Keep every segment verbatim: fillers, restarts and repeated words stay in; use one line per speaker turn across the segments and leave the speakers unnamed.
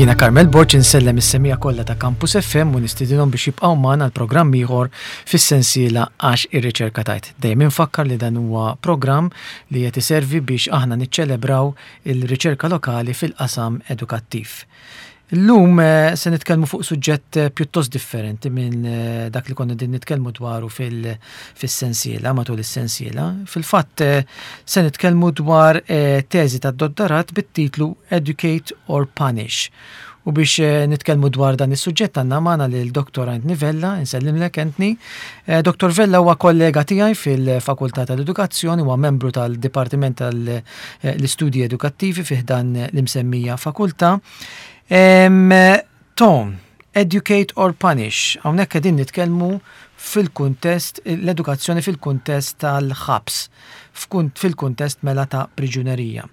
Jiena Carmel Borg, insellem is-semmiegħa kollha ta' Campus F M u nistidinhom biex jibqgħu magħna l-programm ieħor fis-sensiela Għax ir-Riċerka Tgħid. Dejjem infakkar li dan huwa programm li qed iservi biex aħna niċċelebraw il-riċerka lokali fil-qasam edukattiv. Illum eh, se nitkellmu fuq suġġett eh, pjuttost differenti minn eh, dak li konna din nitkellmu dwaru fil-sensiela, matul is-sensiela. Fil-fatt se nitkellmu dwar teżi ta' dottorat bit-titlu Educate or Punish. U biex nitkellmu dwar dan is-suġġett għandna magħna lil Doktor Anthony Vella. Insellimlek, Anthony. Doktor Vella huwa kollega tiegħi fil-Fakultà tal-Edukazzjoni, huwa membru tal-Dipartiment tal-Istudji Edukattivi fi ħdan l-imsemmija fakultà. Tom, Educate or Punish, hawnhekk qegħdin nitkellmu fil-kuntest, l-edukazzjoni fil-kuntest tal-ħabs, fil-kuntest mela ta' priġunerija.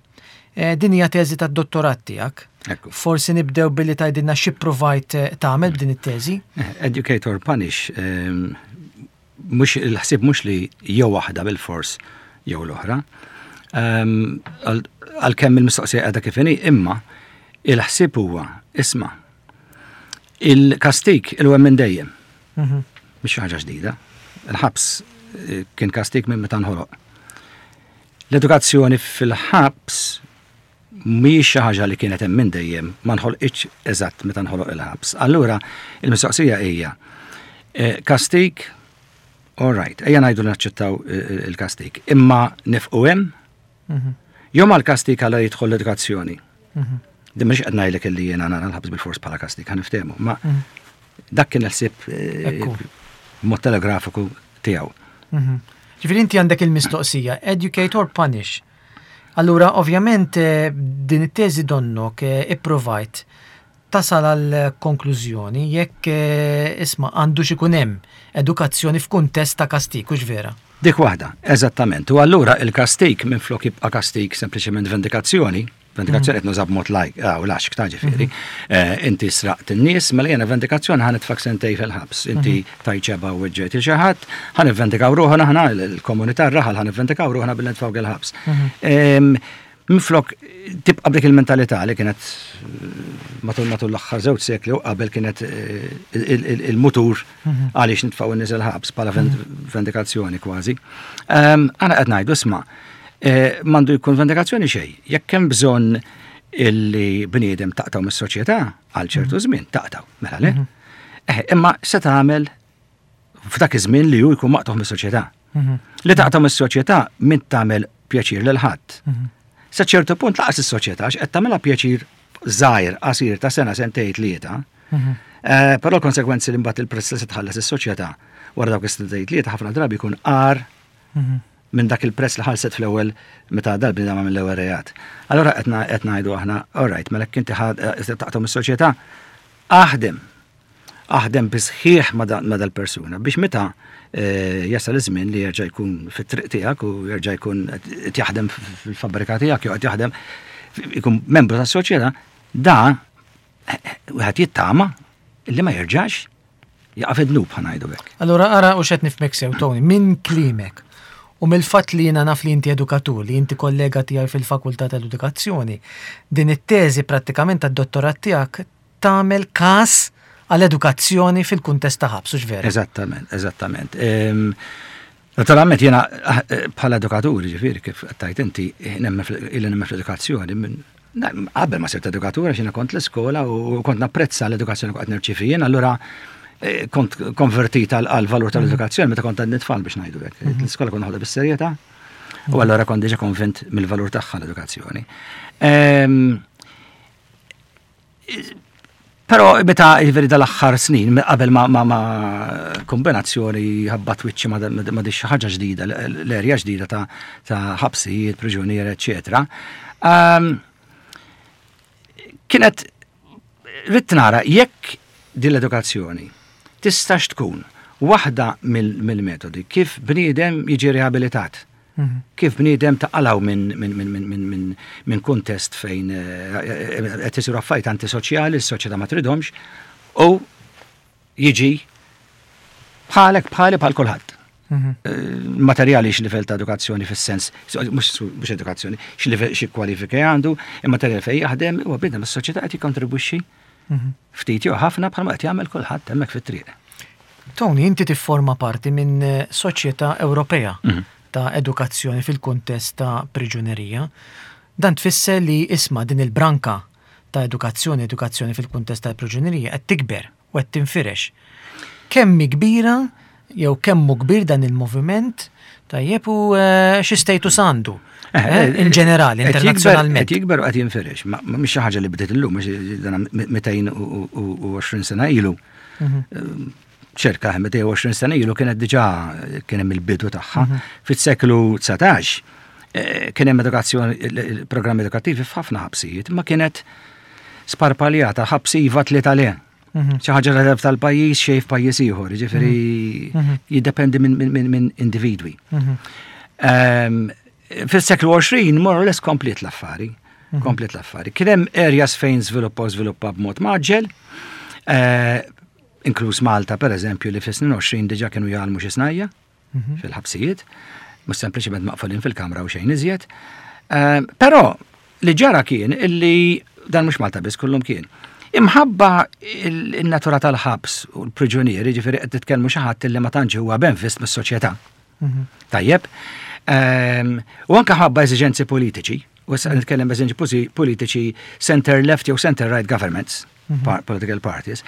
E, din hija teżi tad-dottorat tiegħek. Forsi nibdew billi tgħidilna xi provajt eh, tagħmel b'din it-teżi.
Eh, Educate or Punish, mhux il-ħsieb mhux li jew waħda bil-fors jew l-oħra. Għalkemm il-mistoqsija qiegħda kif inhi, imma il-ħsieb huwa, isma', il-kastik il minn dejjem. Mhm. Mhix xi ħaġa ġdida. Il-ħabs eh, kien kastik minn meta nħoloq. L-edukazzjoni fil-ħabs mhijiex xi ħaġa li kienet hemm minn dejjem, ma nħolqitx eżatt meta nħoloq il-ħabs. Allura il-mistoqsija hija eh, kastik, all right, ejja ngħidu naċċettaw eh, il-kastik, imma nieqfu hemm? Mhm. Jew mal-kastik għala jidħol l-edukazzjoni? Mhm. Din mhux qed ngħidlek illi jiena nara l-ħabs bil-fors bħala kastik, ħa niftehmu, ma mhm. dak kien il-ħsieb eh, mod telegrafiku tiegħu.
Mhm. Ġifieri inti għandek il-mistoqsija, educate or punish? Allura, ovvjament, eh, din it-teżi donnok eh, ipprovajt tasal għal konklużjoni jekk, eh, isma', għandu ikun hemm edukazzjoni f'kuntest ta' kastik, hux vera?
Dik waħda, eżattament. U allura il-kastik minn flok jibqa' kastik sempliċement vendikazzjoni, vendikazzjoni qed nuża b'mod lajk, ah, u laxk ta' ġifieri. Eh, Inti sraqt in-nies, mela jiena vendikazzjoni ħa nitfgħek sentejn fil-ħabs. Inti tajċeba u weġġejt il xi ħadd, ħa nivvendikaw ruħna aħna, il-komunità, r-raħal, ħa nivvendikaw ruħna billi nitfgħu il-ħabs. Em, Minflok tibqa' b'dik il-mentalità li kienet eh, matul matul l-aħħar żewġ sekli u qabel kienet eh, il- il- il-mutur għaliex nitfgħu n-nies il-ħabs bħala vend- vendikazzjoni kważi. Em, Aħna qed ngħidu, isma', eh, m'għandu jkun vendikazzjoni xejn. Jekk hemm bżonn illi bniedem taqtgħu mis-soċjetà għal ċertu żmien, taqtgħu, mela le. Eh, Imma se tagħmel f'dak iż-żmien li hu jkun maqtugħ mis-soċjetà? Li taqtgħu mis-soċjetà min tagħmel pjaċir lil ħadd. Sa ċertu punt lanqas is-soċjetà, għax qed tagħmilha pjaċir żgħir, qasir ta' sena, sentejn, tlieta. Eh, Però l-konsekwenzi li mbagħad il-prezz li se tħallas is-soċjetà wara dawk is-sentejn tlieta ħafna drabi jkun agħar minn dak il-prezz li ħallset fl-ewwel meta dal-bniedem mill-ewwel reat. Allora qed na- qed ngħidu aħna, all right, mela inti taqtgħu mis-soċjetà, aħdem aħdem bisħiħ ma' da- ma' dal-persuna biex meta eh, jasal iż-żmien li jerġa' jkun fit-triq tiegħek u jerġa' jkun qed jaħdem fil-fabbrika tiegħek jew qed jaħdem, ikun membru tas-soċjetà, da eh, wieħed jittama li ma jerġax jaqa' fid-dnub, ħa ngħidu hekk.
Allura ara u xed nifhmek sew, Tony, minn kliemek u mill-fatt li jiena naf li inti edukatur, li inti kollega tiegħi fil-Fakultà tal-Edukazzjoni, din it-teżi prattikament tad-dottorat tiegħek tagħmel każ għall-edukazzjoni fil-kuntest ta' ħabs, hux vera?
Eżattament, eżattament. Em, Naturalment jiena eh, bħala edukatur, ġifieri kif tajt inti, nemmen fil- illi nemmen fl-edukazzjoni minn na, qabel ma sirt edukatur, għax jiena kont l-iskola u kont napprezza l-edukazzjoni kont nirċievi jien, allura eh, kont konvertit għal għal valur tal-edukazzjoni meta kont għadni tfal, biex ngħidu hekk. L-iskola kont noħodha bis-serjetà u allura kont diġà konvint mill-valur tagħha l-edukazzjoni. Ehm, Però meta ġifieri dal-aħħar snin, qabel ma, ma, ma kombinazzjoni ħabbat wiċċi ma, ma, ma xi ħaġa ġdida, l-erja ġdida ta', ta' ħabsijiet, priġunieri, eċetera. Um, kienet ridt nara jekk din l-edukazzjoni tistax tkun waħda mill- mill-metodi kif bniedem jiġi riabilitat. Kif bniedem taqilgħu minn min, min, min, min, min, min kuntest fejn eh, qed isiru affarijiet antisoċjali, s-soċjetà ma tridhomx, u jiġi bħalek, bħali, bħal kulħadd.
Mhm.
Eh, Materjali x'livell ta' edukazzjoni fis-sens, mhux mhux edukazzjoni, x'livell, xi kwalifika għandu, immaterjali fejn jaħdem, huwa bniedem is-soċjetà qed jikkontribwixxi
Mhm.
ftit jew ħafna bħalma qed jagħmel kulħadd hemmhekk fit-triq.
Tony, inti tifforma parti minn eh, soċjetà Ewropea
Mhm.
ta' edukazzjoni fil-kuntest ta' priġunerija. Dan tfisser li isma' din il-branka ta' edukazzjoni, edukazzjoni fil-kuntest ta' priġunerija qed tikber u qed tinfirex. Kemm hi kbira jew kemm hu kbir dan il-moviment, tajjeb, u eh, xi status għandu eh, in ġenerali,
Qed jikber-
internazzjonalment?
Qed jikber u qed jinfirex. Ma ma mhix xi ħaġa li bdiet illum, mhux dan mitejn u għoxrin sena ilu.
Mhm.
Ċirka mitejn u għoxrin sena ilu kienet diġà kien hemm il-bidu tagħha. Fis-seklu dsatax eh, kien hemm edukazzjoni, il- il-programmi edukattivi f'ħafna ħabsijiet, ma kienet sparpaljata, ħabs iva, tlieta le.
Mhm.
Xi ħaġa li tal-pajjiż xejn f'pajjiż ieħor, jiġifieri
Mhm.
jiddependi minn min, min, min individwi.
Mhm.
Ehm, Fis-seklu għoxrin, more or less, komplet l-affari. Komplet l-affari. Kien hemm areas fejn żviluppa u żviluppa b'mod mgħaġġel, eh, inkluż Malta, per eżempju, li fis-snin għoxrin diġà kienu jgħallmu xi snajja
Mhm.
fil-ħabsijiet, mhux sempliċement maqfulin fil-kamra u xejn iżjed. Ehm, Però li ġara kien illi dan mhux Malta biss, kullum kien. Imħabba il-natura tal-ħabs u l-priġunieri, ġifieri qed titkellmu xi ħadd illi ma tantx huwa benvist mis-soċjetà.
Mhm.
Tajjeb. Ehm, U anka ħabba eżiġenzi politiċi, u issa nitkellem eżiġenzi posi- politiċi center left jew center right governments, par- political parties,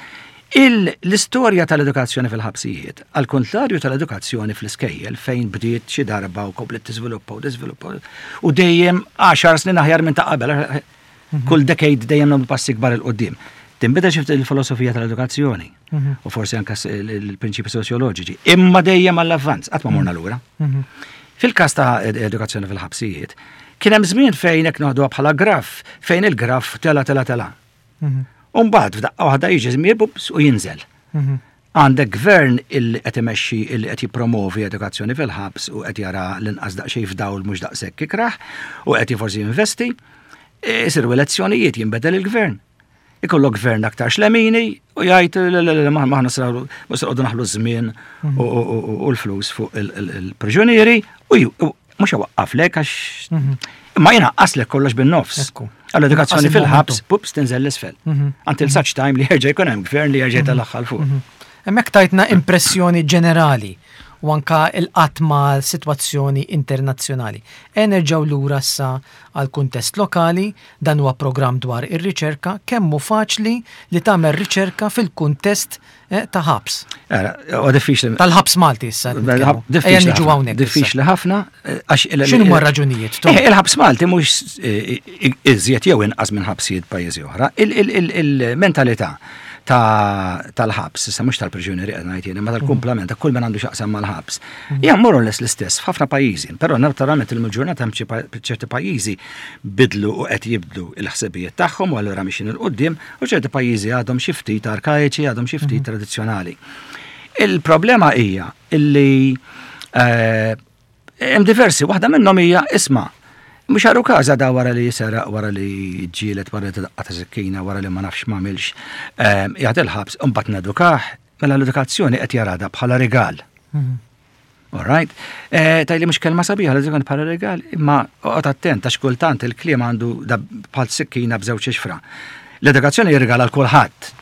il- l-istorja tal-edukazzjoni fil-ħabsijiet, għal kontrarju tal-edukazzjoni fl-iskejjel fejn bdiet xi darba u komplet tiżviluppa u tiżviluppa u dejjem għaxar snin aħjar minn ta' qabel, kull decade dejjem nagħmlu passi kbar 'il quddiem. Tinbidel xi ftit il-filosofija tal-edukazzjoni
Mhm.
u forsi anka s- il-prinċipi soċjoloġiċi, imma dejjem għall-avvanz, qatt ma morna lura.
Mhm.
Fil-każ ta' ed- edukazzjoni fil-ħabsijiet, kien hemm żmien fejn hekk noħduha bħala graf, fejn il-graf tela tela tela.
Mhm.
U mbagħad f'daqqa waħda jiġi żmien bups u jinżel.
Mhm.
Għandek gvern il qed imexxi, il qed jippromovi edukazzjoni fil-ħabs u qed jara l-inqas daqsxejn f'dawl mhux daqshekk ikrah u qed forsi jinvesti, isiru elezzjonijiet, jinbedel il-gvern. Ikollok gvern aktar xlemini u jgħid le, le, le, maħna sraru mhux noqogħdu naħlu żmien u- u u- u l-flus fuq il- il- il-priġunieri u ju- u mhux iwaqqaflek għax imma jnaqqaslek kollox bin-nofs.
Ekku.
Għall-edukazzjoni
Naqqas
fil-ħabs,
il-momentum.
pups, tinżel l-isfel.
Mhm.
Until such time li jerġa' jkun hemm gvern li jerġa' jtellagħha 'l fuq.
Hemmhekk tajtna impressjoni ġenerali u anka il-qatt ma' situazzjoni internazzjonali. E nerġgħu lura issa għal kuntest lokali, dan huwa programm dwar ir-riċerka, kemm hu faċli li tagħmel riċerka fil-kuntest eh, ta' ħabs.
Ara, huwa diffiċli.
Tal-ħabs Malti issa nitkellmu. Ejja
Diffiċli
niġu
ħafna,
hawnhekk issa.
Diffiċli ħafna. eh, għax il-
X'inhuma r-raġunijiet, Tom?
Eh, Il-ħabs Malti mhux eh, iżjed jew inqas minn ħabsijiet pajjiżi oħra. Il- il- il- Il-mentalità ta' tal-ħabs, issa mhux tal-priġunieri qed ngħid jien, imma tal-kumplament ta' kull min għandu x'jaqsam mal-ħabs. Hija more or less l-istess f'ħafna pajjiżi, però naturalment il-ġurnata hemm xi pa- ċerti pajjiżi bidlu u qed jibdlu il-ħsibijiet tagħhom u allura mixin 'il quddiem u ċerti pajjiżi għadhom xi ftit arkaiċi, għadhom xi ftit tradizzjonali. Il-problema hija illi eh, hemm diversi, waħda minnhom hija, isma', mhux għarukaża da wara li jisera, wara li ġielet, wara li tadaqqa ta' sikkina, wara li ma nafx m'għamilx, jgħid il-ħabs, u mbagħad nedukah, mela l-edukazzjoni qed jarada bħala rigal.
Mhm.
All right. Eh, Tgħidli mhux kelma sabiħa l-edukazzjoni bħala rigal, imma oqgħod attent għax kultant il-kliem għandu da bħal sikkina b'żewġ ixfra. L-edukazzjoni jirgala l kulħadd.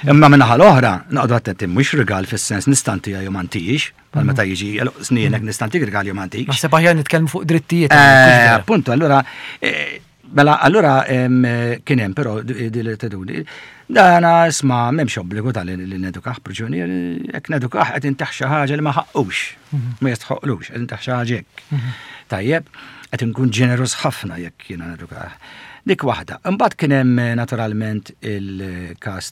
Imma min-naħa l-oħra, noqogħdu attenti, mhux rigal fis-sens nista' ntiha jew ma ntihiex, bħal meta jiġi snienek nista' ntik rigal jew ma ntikx.
Naħseb aħjar nitkellmu fuq drittijiet.
Eh,
hawnhekk, mhux vera?
Appunto, allura, eh, mela, allura em, eh, kien hemm però di li teduni. Dana isma' m'hemmx obbligu tal li nedukah priġunier, jekk nedukah qed intaħ xi ħaġa li ma ħaqqux, ma jistħoqlux, qed intaħ xi ħaġa hekk. Tajjeb, qed inkun ġenerus ħafna jekk jiena nedukah. Dik waħda. Imbagħad kien hemm eh, naturalment il-każ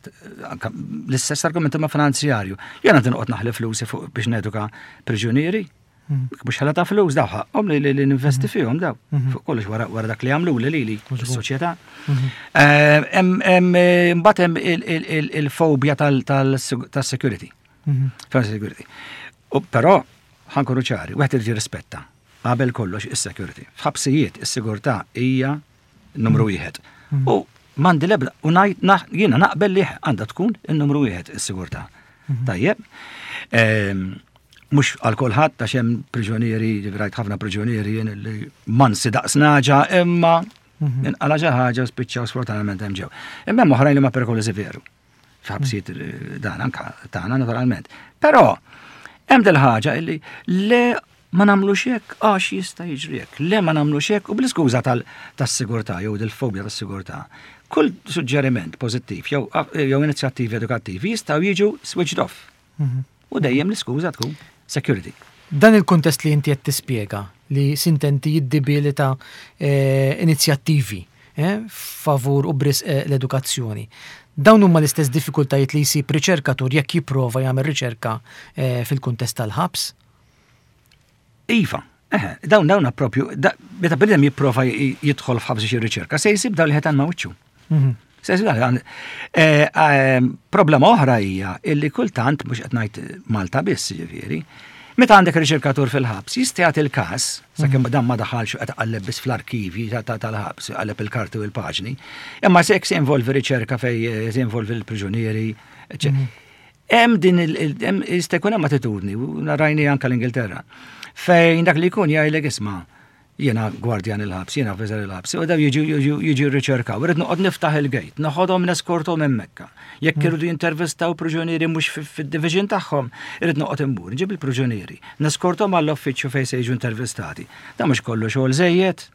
anka l-istess argument ma finanzjarju. Jiena tinqgħod naħli flusi fuq biex neduka priġunieri. Mhux ħala ta' flus daw ħaqhom li li ninvesti fihom daw. Fuq kollox wara wara dak li għamlu li lili s-soċjetà. Eh, Hemm hemm, eh, mbagħad hemm il- il- il- il-fobja tal-security.
Mhm.
Security. U però ħa nkunu ċari, wieħed irid jirrispetta qabel kollox is-security. F'ħabsijiet is-sigurtà hija numru wieħed. U m'għandi lebda u ngħid naħ- jiena naqbel li għandha tkun in-numru wieħed is-sigurtà. Tajjeb. Ehm, Mhux għal kulħadd, għax hemm priġunieri, rajt ħafna priġunieri jien li mansi daqs nagħġa, imma inqala xi ħaġa u spiċċaw sfortunatament hemm ġew. Imma hemm oħrajn li ma perikolużi veru. F'ħabsijiet eh, dan anka tagħna naturalment. Però hemm del ħaġa illi le, ma nagħmlux hekk għax jista' jiġri hekk. Le, ma nagħmlux hekk, u bl-iskuża tas-sigurtà jew del-fobja tas-sigurtà. Kull suġġeriment pożittiv jew jew inizjattivi edukattivi jistgħu jiġu switched off. U dejjem l-iskuża tkun security.
Dan il-kuntest li inti qed tispjega li s'intendi jiddebilita eh, inizjattivi eh, favur u b'risq eh, l-edukazzjoni. Dawn huma l-istess diffikultajiet li jsib riċerkatur jekk jipprova jagħmel riċerka eh, fil-kuntest tal-ħabs?
Iva, eh, dawn dawn propju, da- meta bniedem jipprova j- jidħol f'ħabs xi riċerka, se jsib dawn li ħetan ma' wiċċu. Se jsib dawn li eh, eh, Problema oħra hija illi kultant, mhux qed ngħid Malta biss ġifieri, meta għandek riċerkatur fil-ħabs, jista' jagħti il-każ, sakemm dan ma daħalx u qed qalleb biss fl-arkivi ta- ta- tal-ħabs, qalleb il-karti u l-paġni, imma se se involvi riċerka fej eh, se involvi l-priġunieri, eċċetera. Hemm din il- il- hemm jista' jkun hemm attitudni, u narajni anke l-Ingilterra, fejn dak li jkun jgħidlek, "Isma', jiena gwardjan il-ħabs, jiena officer il-ħabs, u daw jiġu jiġu jiġu jirriċerkaw, irrid noqgħod niftaħ il-gate, noħodhom neskorthom hemmhekk. Jekk irridu jintervistaw priġunieri mhux fid-division tagħhom, irrid noqgħod immur, nġib il-priġunieri, neskorthom għall-uffiċċju fejn se jiġu intervistati. Dan mhux kollu xogħol żejjed?"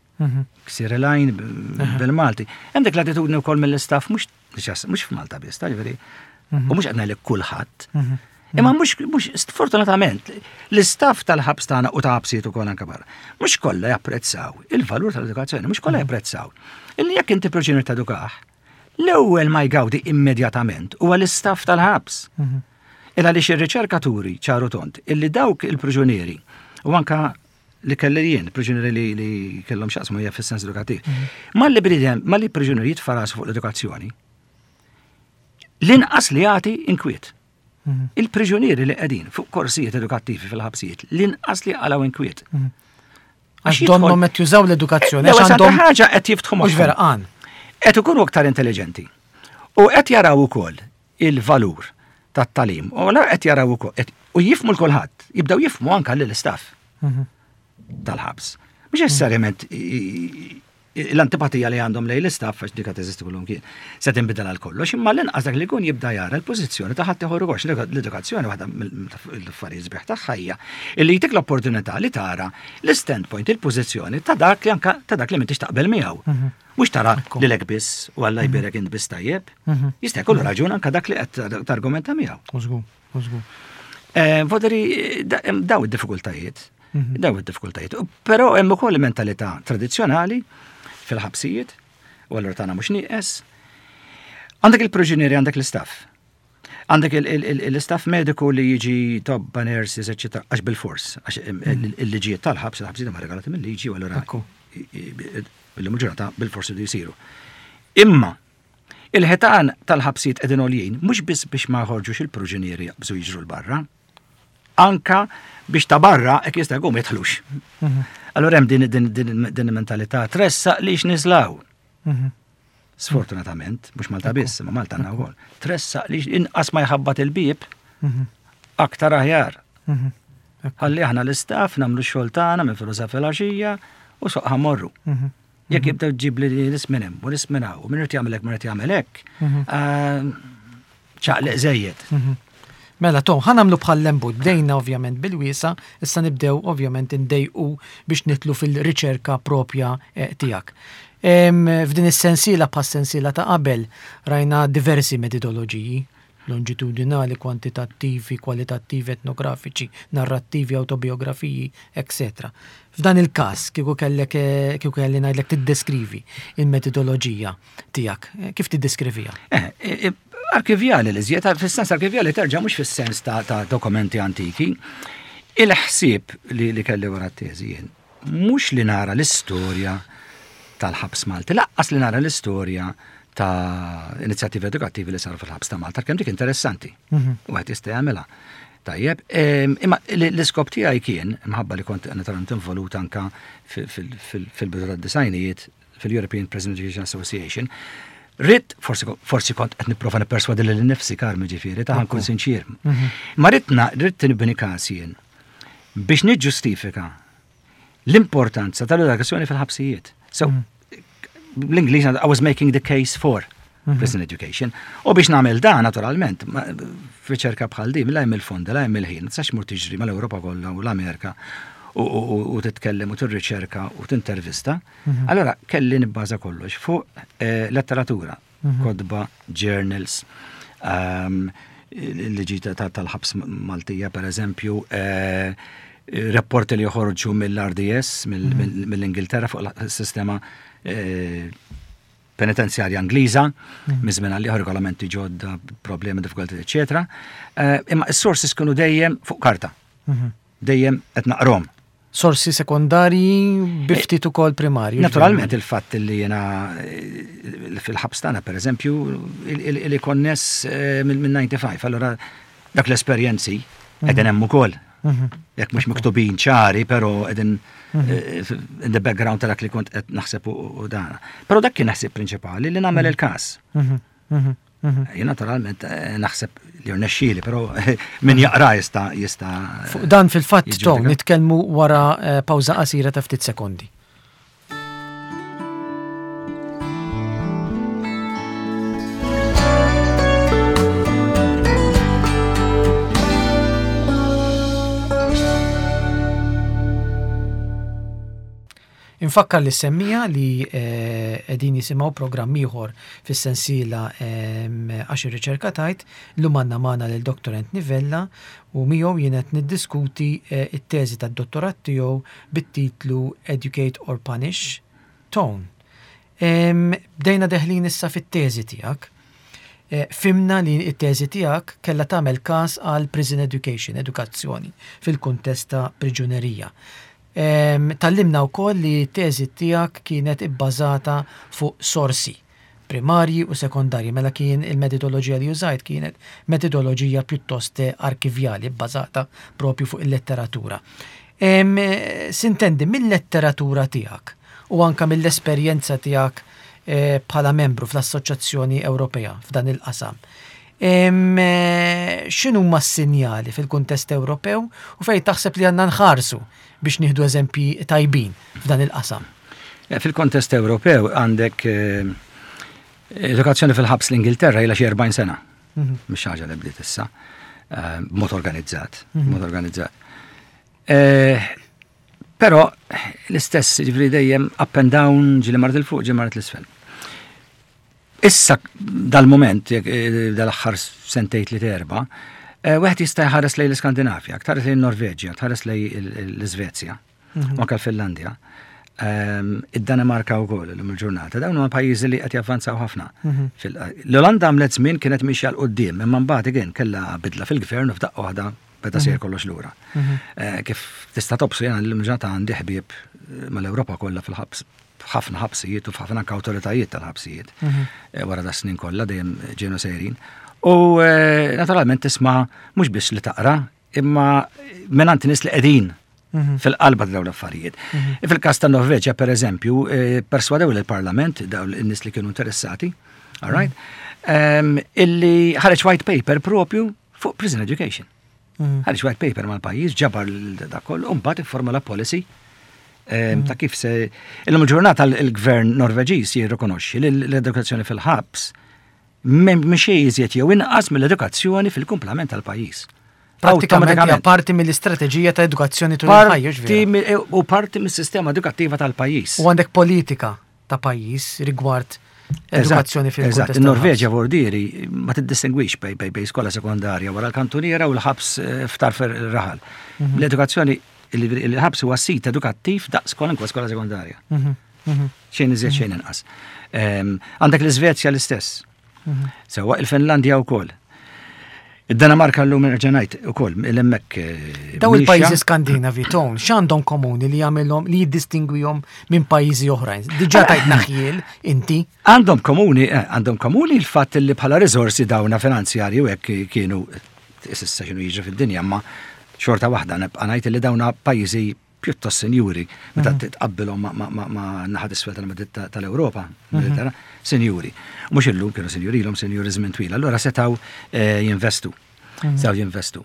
Ksir il-għajn bil-Malti. Hemm dik l-attitudni wkoll mill-istaff, mhux mhux f'Malta biss, ta' ġifieri. U mhux qed ngħidlek kulħadd. Imma mhux mhux sfortunatament l-istaff tal-ħabs tagħna u ta' ħabsijiet ukoll anke barra, mhux kollha japprezzaw il-valur tal-edukazzjoni, mhux kollha japprezzaw illi jekk inti priġunier tedukah, l-ewwel ma jgawdi immedjatament huwa l-istaff tal-ħabs. Il għaliex ir-riċerkaturi ċaru tond illi dawk il-priġunieri u anka li kelli jien, priġunieri li, li kellhom x'jaqsmu hija fis-sens edukattiv. Malli bniedem, malli priġunieri jitfa' rasu fuq l-edukazzjoni, l-inqas li jagħti inkwiet. Il-priġunieri li qegħdin fuq korsijiet edukattivi fil-ħabsijiet, l-inqas li qalgħu inkwiet.
Għax donnhom qed jużaw l-edukazzjoni,
għax
għax għandhom
ħaġa qed jiftħu
mhux vera għan.
Qed ikunu aktar intelligenti. U qed jaraw ukoll il-valur tat-tagħlim. U la qed jaraw ukoll u jifhmu 'l kulħadd, jibdew jifhmu anke lill-istaff tal-ħabs. Mhux necessarjament l-antipatija li għandhom lejn l-istaff, għax dik teżisti kullum kien, se tinbidel għal kollox, imma l-inqas dak li jkun jibda jara l-pożizzjoni ta' ħadd ieħor ukoll. L-edukazzjoni, waħda mill-affarijiet sbieħ tagħha hija illi jtik l-opportunità li tara l-standpoint, il-pożizzjoni ta' dak li anka ta' dak li m'intix taqbel miegħu. Mhux tara lilek biss u Alla jbierek int biss tajjeb. Jista' jkollu raġun anka dak li qed targumenta miegħu.
Użgur, użgur.
Voderi, daw id-diffikultajiet. Daw id-diffikultajiet. Però hemm ukoll mentalità tradizzjonali fil-ħabsijiet, u allura tagħna mhux nieqes. Għandek il-priġunieri, għandek l-istaff. Għandek l-istaff mediku li jiġi tobba, nurses, eccetera, għax bil-fors, għax il-liġijiet tal-ħabs, il-ħabsijiet ma regolati mill-liġi, u allura bil ġurnata bil-fors li jisiru. Imma il-ħitan tal-ħabsijiet qegħdin għoljin mhux biss biex ma jħorġux il-priġunieri jaqbżu jiġru 'l barra, anka biex ta' barra hekk jista' jkun ma jidħlux. Allora hemm din din din din mentalità tressaq li x'nislaw. Sfortunatament, mhux Malta biss, ma Malta għandna wkoll. Tressaq li inqas ma jħabbat il-bieb aktar aħjar. Ħalli aħna l-istaff nagħmlu x-xogħol tagħna minn filgħodu filgħaxija u soqħa morru. Jekk jibdew ġib li nies minn hemm u nies minn hawn u min irid jagħmel hekk, min irid jagħmel hekk, ċaqliq żejjed.
Mela, Tom, ħa nagħmlu bħal lembut, bdejna ovvjament bil-wiesa, issa nibdew ovvjament indejqu biex nidħlu fil-riċerka propja eh, tiegħek. F'din is-sensiela, bħas sensiela ta' qabel, rajna diversi metodoloġiji, longitudinali, kwantitattivi, kwalitattivi, etnografiċi, narrattivi, autobiografiji, eccetera. F'dan il-każ, kieku kellek eh, kieku kelli ngħidlek tiddeskrivi il-metodoloġija tiegħek, eh, kif tiddeskrivija?
Eh, arkivjali li żjed, fis-sens arkivjali terġa' mhux fis-sens ta', ta dokumenti antiki. Il-ħsieb li, li kelli wara t-teżi jien, mhux li nara l-istorja tal-ħabs Malti, lanqas li nara l-istorja ta' inizjattivi edukattivi li saru fil-ħabs ta' Malta, kemm dik interessanti. U għet jista' jagħmilha. Tajjeb, imma l-iskop tiegħi kien, minħabba li kont naturalment involut anka fil-bidu tad-disgħinijiet fil-European Prison Education Association, ridt, forsi, forsi kont qed nipprova nipperswadi lil nifsi karmi ġifieri, ta' nkun sinċir. Ma ridtna, ridt nibni każ jien. Biex niġġustifika l-importanza tal-edukazzjoni fil-ħabsijiet. So, l-Ingliż, I was making the case for prison education. U biex nagħmel dan, naturalment, f'riċerka bħal din, la hemm il-fondi, la hemm il-ħin, tistax mur tiġri mal-Ewropa kollha u l-Amerika u titkellem u tirriċerka u tintervista. Allora kelli nibbaża kollox fuq letteratura, kotba, journals, liġi tal-ħabs Maltija per eżempju, rapporti li joħorġu mill-R D S, mill-Ingilterra fuq il-sistema penitenzjarja Ingliża, minn żmien għal regolamenti ġodda, problemi, diffikulti, eċetera. Imma s-sources kienu dejjem fuq karta. Dejjem qed naqrom.
Sorsi sekondarji bi ftit ukoll primarji.
Naturalment il-fatt li jena fil-ħabs tagħna pereżempju li konness minn disgħa u disgħin, allora dak l-esperjenzi qegħdin hemm ukoll. Jekk mhux miktubin ċari, però qegħdin in the background ta' dak li kont qed naħseb u dana. Però dak kien ħsieb prinċipali li nagħmel il-każ. Jien naturalment naħseb li rnexxieli, però min jaqra jista' jista'
Fuq dan fil-fatt Tom nitkellmu wara pawża qasira ta' ftit sekondi. Infakkar lis-semmiegħa li qegħdin jisimgħu programm ieħor fis-sensiela Għax ir-riċerka tgħid. Illum għandna magħna lil Doctor Anthony Vella u miegħu jien qed niddiskuti it-teżi tad-dottorat tiegħu bit-titlu Educate or Punish, Tone. Bdejna deħlin issa fit-teżi tiegħek. Fhimna li t-teżi tiegħek kellha tagħmel każ għal prison education, edukazzjoni fil-kuntest ta' priġunerija. Tgħallimna wkoll li t-teżi tiegħek kienet ibbażata fuq sorsi primarji u sekondarji, mela kien il-metodoloġija li użajt kienet metodoloġija pjuttost arkivjali bbażata propju fuq il-letteratura. Sintendi, mill-letteratura tiegħek u anka mill-esperjenza tiegħek bħala membru fl-Assoċjazzjoni Ewropea f'dan il-qasam, x'inhuma s-sinjali fil-kuntest Ewropew u fejn taħseb li għandna nħarsu biex nieħdu eżempji tajbin f'dan il-qasam?
Fil-kontest Ewropew għandek edukazzjoni fil-ħabs l-Ingilterra ilha xi erbgħin sena. Mhux ħaġa li bdiet issa. B'mod organizzat, b'mod organizzat. Però l-istess, ġifieri dejjem up and down, ġieli marret 'il fuq, ġieli marret 'l isfel. Issa dal-moment, dal-aħħar sentejn li terba, wieħed jista' jħares lejn l-Iskandinavja, tħares lejn Norveġja, tħares lejn l-Iżvezja, u anke l-Finlandja, id-Danimarka wkoll illum il-ġurnata. Dawn huma pajjiżi li qed javvanzaw ħafna. L-Olanda għamlet żmien kienet mixja 'l quddiem, imma mbagħad again kellha bidla fil-gvern u f'daqqa waħda beda sejjer kollox lura. Kif tista' tobsor jiena llum ġurnata għandi ħbieb mal-Ewropa kollha fil-ħabs, ħafna ħabsijiet u f'ħafna anke awtoritajiet tal-ħabsijiet. Wara da snin kollha dejjem ġejnu sejrin. U naturalment tisma' mhux biss li taqra, imma mingħand nies li qegħdin fil-qalba dawn l-affarijiet. Fil-każ ta' Norveġja, per eżempju, perswadew il-Parlament, dawn in-nies li kienu interessati, all right, illi ħareġ white paper propju fuq prison education. Ħareġ white paper mal-pajjiż, ġabar dak kollu, u mbagħad ifformula policy ta' kif se. Illum il-ġurnata il-gvern Norveġiż jirrikonoxxi li l-edukazzjoni fil-ħabs mhix iżjed jew inqas mill-edukazzjoni fil-kumplament tal-pajjiż.
Prattikament parti mill-istrateġija ta' edukazzjoni tul il-ħajja.
U parti mis-sistema edukattiva tal-pajjiż.
U għandek politika ta' pajjiż rigward edukazzjoni fil-kuntest.
Il-Norveġja vordieri ma tiddistingwix bej bej bej skola sekondarja wara l-kantuniera u l-ħabs f'tarf ir-raħal. L-edukazzjoni, il-ħabs huwa sit edukattiv daqs kwalunkwe skola sekondarja. Xejn iżjed, xejn inqas. Għandek l-Iżvezja l-istess. Sewwa, il-Finlandja wkoll. Id-Danimarka llum nerġa' ngħid ukoll l-hemmhekk.
Daw il-pajjiżi Skandinavi, Ton, x'għandhom komuni li jagħmilhom li jiddistingwihom minn pajjiżi oħrajn? Diġà tajtna ħjiel inti.
Għandhom komuni, għandhom komuni l-fatt li bħala riżorsi dawna finanzjarji u hekk kienu issa x'inhu jiġri fid-dinja, ma xorta waħda nibqa' ngħid li dawna pajjiżi pjuttost sinjuri meta titqabbilhom ma' naħa isfel tal-Ewropa, sinjuri. Mhux illum kienu sinjuri, ilhom sinjuri żmien twil, allura setgħu jinvestu. Setgħu jinvestu.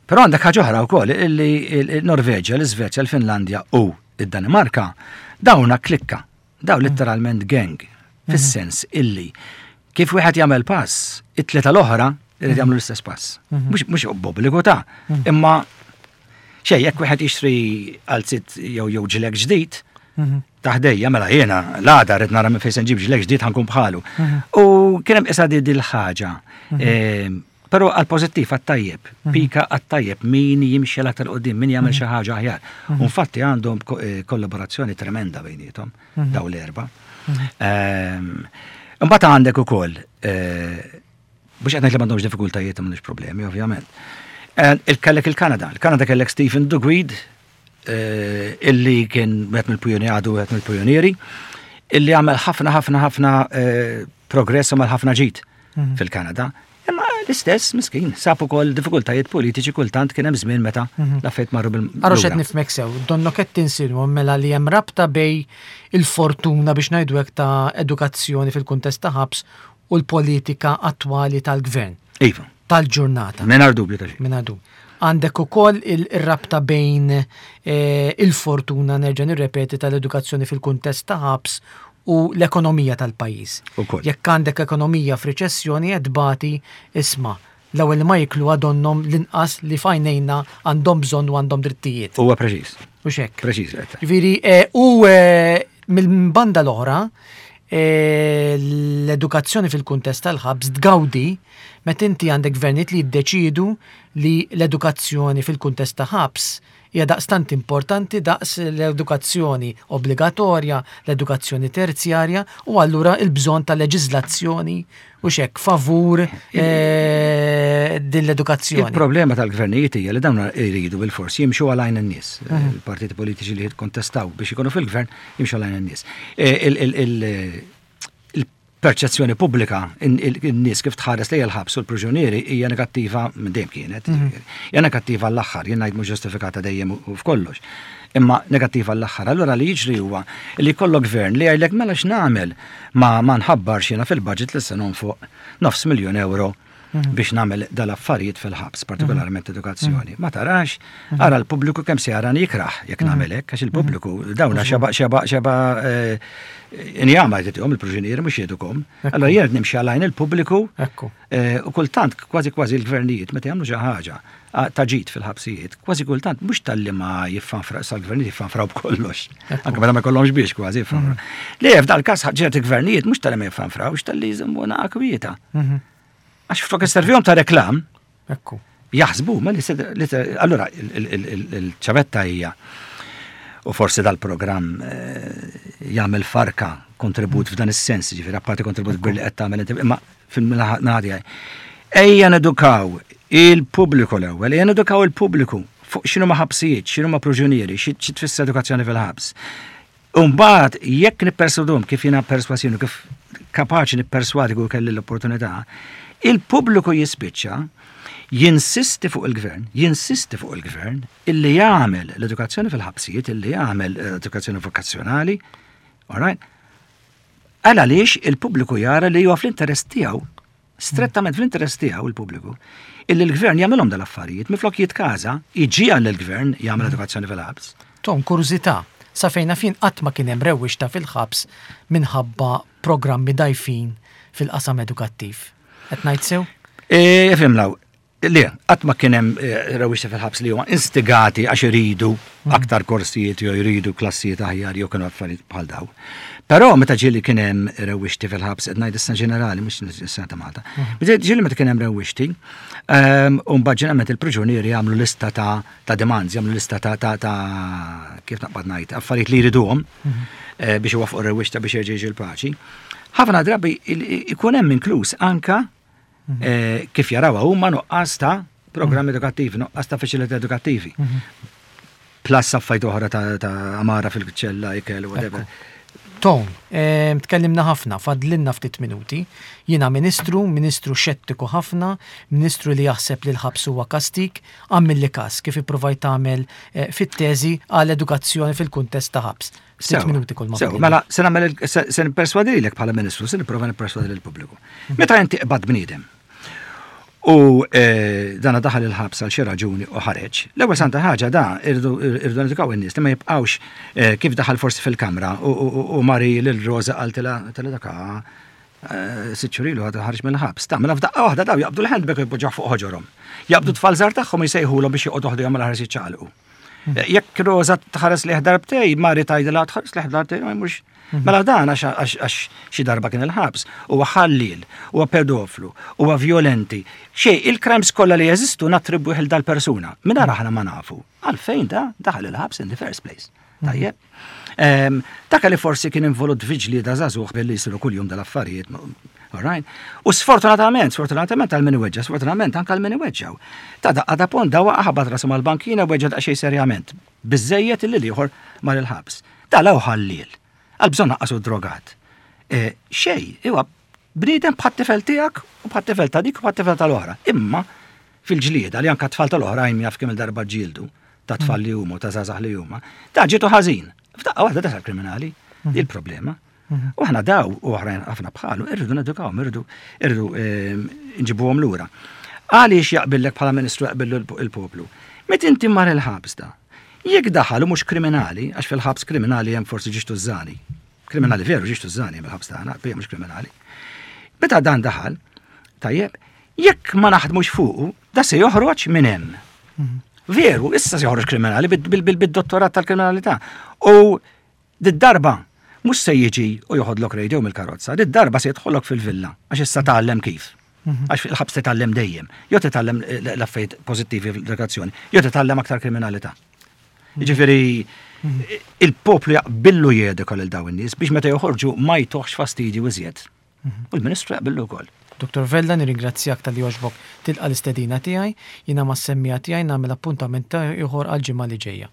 Però għandek ħaġa oħra wkoll illi il-Norveġja, l-Iżvezja, l-Finlandja u id-Danimarka dawna klikka, daw letteralment gang, fis-sens illi kif wieħed jagħmel pass, it-tlieta l-oħra irid jagħmlu l-istess pass. Mhux mhux b'obbligu ta' imma xejn jekk wieħed jixtri qalziet jew jew ġilek ġdid, ta' ħdejja mela jiena l-għada rrid nara minn fejn se nġib ġilek ġdid ħa nkun bħalu. U kien hemm isa di dil-ħaġa. Però għal pożittiv għat-tajjeb, pika għat-tajjeb, min jimxi l-aktar quddiem, min jagħmel xi ħaġa aħjar. U infatti għandhom kollaborazzjoni tremenda bejniethom daw l-erba. Imbagħad għandek ukoll mhux qed ngħid li m'għandhomx diffikultajiet m'għandhomx problemi, ovvjament. Il-kellek il-Kanada, il-Kanada kellek Stephen Duguid, illi kien wieħed mill-pijunieri għadu wieħed mill-pijunieri, illi għamel ħafna ħafna ħafna progress u għamel ħafna ġid fil-Kanada. Imma l-istess, miskin, sab ukoll diffikultajiet politiċi kultant kien hemm żmien meta l-affarijiet marru bil.
Ara x'qed nifhmek sew, donnok qed tinsinwa mela li hemm rabta bejn il-fortuna biex ngħidu hekk ta' edukazzjoni fil-kuntest ta' ħabs u l-politika attwali tal-gvern.
Iva.
Tal-ġurnata.
Mingħajr dubju ta' xejn.
Mingħajr dubju. Għandek ukoll il-rabta bejn il-fortuna, nerġa' nirrepeti, tal-edukazzjoni fil-kuntest ta' ħabs u l-ekonomija tal-pajjiż. Jekk għandek ekonomija f'riċessjoni qed tbati isma' l-ewwel ma jiklu għadonhom l-inqas li f'għajnejna għandhom bżonn u għandhom drittijiet.
Huwa preċiż.
U xek.
Preċiż.
Ġifieri u mill-banda l-oħra l-edukazzjoni fil-kuntest tal-ħabs tgawdi meta inti għandek gvernijiet li jiddeċidu li l-edukazzjoni fil-kuntest ta' ħabs hija daqstant importanti daqs l-edukazzjoni obbligatorja, l-edukazzjoni terzjarja u allura il-bżonn ta' leġiżlazzjoni u xek favur din l-edukazzjoni.
Il-problema tal-gvernijiet hija li dawn jridu bil-fors jimxu għal għajn in-nies. Il-partiti politiċi li jikkontestaw biex ikunu fil-gvern jimxu għal għajn in-nies. Il-perċezzjoni pubblika in-nies kif tħares lejn il-ħabs u l-priġunieri hija negattiva minn dejjem kienet. Hija negattiva l-aħħar, jien ngħid mhux ġustifikata dejjem u f'kollox. Imma negattiva l-aħħar. Allura li jiġri huwa li jkollok gvern li jgħidlek mela x'nagħmel ma ma nħabbarx jiena fil-budget li se nonfoq nofs miljun euro biex nagħmel dal-affarijiet fil-ħabs, partikolarment edukazzjoni. Ma tarax, ara l-pubbliku kemm se jarani jikrah jekk nagħmel hekk, għax il-pubbliku dawna xeba xeba xeba injama jtihom il-priġunieri mhux jedukom. Allora jien nimxi għal għajn il-pubbliku u kultant kważi kważi l-gvernijiet meta jagħmlu xi ħaġa ta' ġid fil-ħabsijiet, kważi kultant mhux talli ma jiffanfra sal-gvernijiet jiffanfraw b'kollox. Anke meta ma jkollhomx biex kważi jiffanfraw. Le f'dal każ ċerti gvernijiet mhux talli ma jiffanfrawx talli jżommuna kwieta. Għax flok isservihom ta' reklam.
Ekku.
Jaħsbu, ma li allura il-ċavetta hija u forsi dal-programm jagħmel farka kontribut f'dan is-sens, ġifieri apparti kontribut kbir li qed tagħmel inti, imma fil-naħa ejja nedukaw il-pubbliku l-ewwel, ejja nedukaw il-pubbliku fuq x'inhu ma ħabsijiet, x'inhu ma proġunieri, xi tfisser edukazzjoni fil-ħabs. Umbagħad jekk nipperswadhom kif jiena perswasjoni, kif kapaċi nipperswadi kull kelli l-opportunità, il-pubbliku jispiċċa jinsisti fuq il-gvern, jinsisti fuq il-gvern illi jagħmel l-edukazzjoni fil-ħabsijiet, illi jagħmel edukazzjoni vokazzjonali, all right? Għal għaliex il-pubbliku jara li huwa fl-interess tiegħu, strettament fl-interess tiegħu il-pubbliku, illi l-gvern jagħmilhom dal-affarijiet, minflok jitkaża, iġi l-gvern jagħmel edukazzjoni fil-ħabs.
Tom, kurżità, sa fejn fin qatt ma kien hemm rewwixta fil-ħabs minħabba programmi dajfin fil-qasam edukattiv. Qed ngħid sew?
E, fimlaw, le, qatt ma kien hemm rewwixta fil-ħabs li huma instigati għax iridu aktar korsijiet jew jridu klassijiet aħjar jew kienu affarijiet bħal daw. Però meta ġieli kien hemm rewwixti fil-ħabs, qed ngħid issa ġenerali mhux is-sena ta' Malta. Ġieli meta kien hemm rewwixti, u mbagħad ġeneralment il-priġunieri jagħmlu lista ta' ta' demands, jagħmlu lista ta' ta' ta' kif naqbad ngħid, affarijiet li jriduhom biex iwaffqu rewwixta biex jerġa' jiġi l-paċi. Ħafna drabi ikun hemm inkluż anka kif jarawha huma nuqqas ta' programmi edukattivi, nuqqas ta' faċilità edukattivi. Plus affarijiet oħra ta' amara fil-ċella, ikel, whatever.
Tom, tkellimna ħafna, fadlinna ftit minuti. Jiena ministru, ministru xettiku ħafna, ministru li jaħseb li l-ħabs huwa kastik, għamilli kas kif ippruvajt tagħmel fit-teżi għal edukazzjoni fil-kuntest ta' ħabs. Ftit minuti kull ma.
Mela, se nagħmel se nipperswadilek bħala ministru, se nipprova nipperswadi lill-pubbliku. Meta inti qbad bniedem U eh, dana daħal il-ħabs għal xi raġuni u ħareġ. L-ewwel santa ħaġa da irdu irdu nedikaw in-nies li ma jibqgħux eh, kif daħal forsi fil-kamra u- u u Mari lil Rosa qaltilha tela daka eh, sitt xhur ilu għadu ħareġ mill-ħabs. Ta' mela f'daqqa waħda daw jaqbdu l-handbag u jpoġġuh fuq ħoġorhom. Jaqbdu tfal żgħar tagħhom jsejħulhom biex joqogħdu ħdejhom mela ħares jiċċaqalqu. Jekk Rosa tħares lejh darbtejn, Mari tgħidilha tħares lejh darbtejn, ma mhux. Mela dan għax għax xi darba kien il-ħabs, huwa ħallil, huwa pedoflu, huwa violenti. Xej, il-crimes kollha li jeżistu nattribwih il dal-persuna. Minn aħna ma nafu. Għalfejn da daħal il-ħabs in the first place. Tajjeb. Ehm, Dak li forsi kien involut viġli da żagħżugħ billi jsiru kuljum dal-affarijiet. All right? U sfortunatament, sfortunatament għal min iweġġa, sfortunatament anke għal min iweġġaw. Ta' daqqa da pont da waqa' ħabat rasu mal-bankina u weġġa daqsxejn serjament. Biżejjed illi l-ieħor mar il-ħabs. Da law ħallil. Għal bżonn naqqasu drogat. Eh, Xej, iwa, bniedem bħat-tifel tiegħek u bħat-tifel ta' dik u bħat-tifel tal-oħra. Imma fil-ġlieda li anka tfal tal-oħrajn jaf kemm il-darba ġildu ta' tfal li huma u ta' żgħażagħ li huma, ta' ġietu ħażin. F'daqqa waħda tasal kriminali. Di l-problema. U aħna daw u oħrajn ħafna bħalu, irridu nedukawhom, irridu irridu ehm, nġibuhom lura. Għaliex jaqbillek bħala ministru jaqbillu il-poplu? Met inti mar il-ħabs da. Jekk daħal u mhux kriminali, għax fil-ħabs kriminali hemm forsi ġiex tużżani. Kriminali veru ġiex tużżani hemm il-ħabs tagħna, bija mhux kriminali. Meta dan daħal, tajjeb, jekk ma naħdmux fuqu, da se joħroġ minn hemm. Veru, issa se joħroġ kriminali bid-dottorat tal-kriminalità. U did-darba mhux se jiġi u joħodlok radio mill-karozza, did-darba se jidħollok fil-villa, għax issa tgħallem kif. Għax fil-ħabs titgħallem dejjem. Jew titgħallem l-affarijiet pożittivi fl-edukazzjoni, jew titgħallem aktar kriminalità. Jiġifieri il-poplu jaqbillu jedika lil dawn in-nies biex meta joħorġu ma jtuħx fastidju iżjed. U l-Ministru jaqbillu wkoll.
Dottor Vella, nirringrazzjak talli għoġbok tilqa l-istedina tiegħi, jiena mas-semmiegħa tiegħi nagħmel appuntament ieħor għal ġimgħa li ġejja.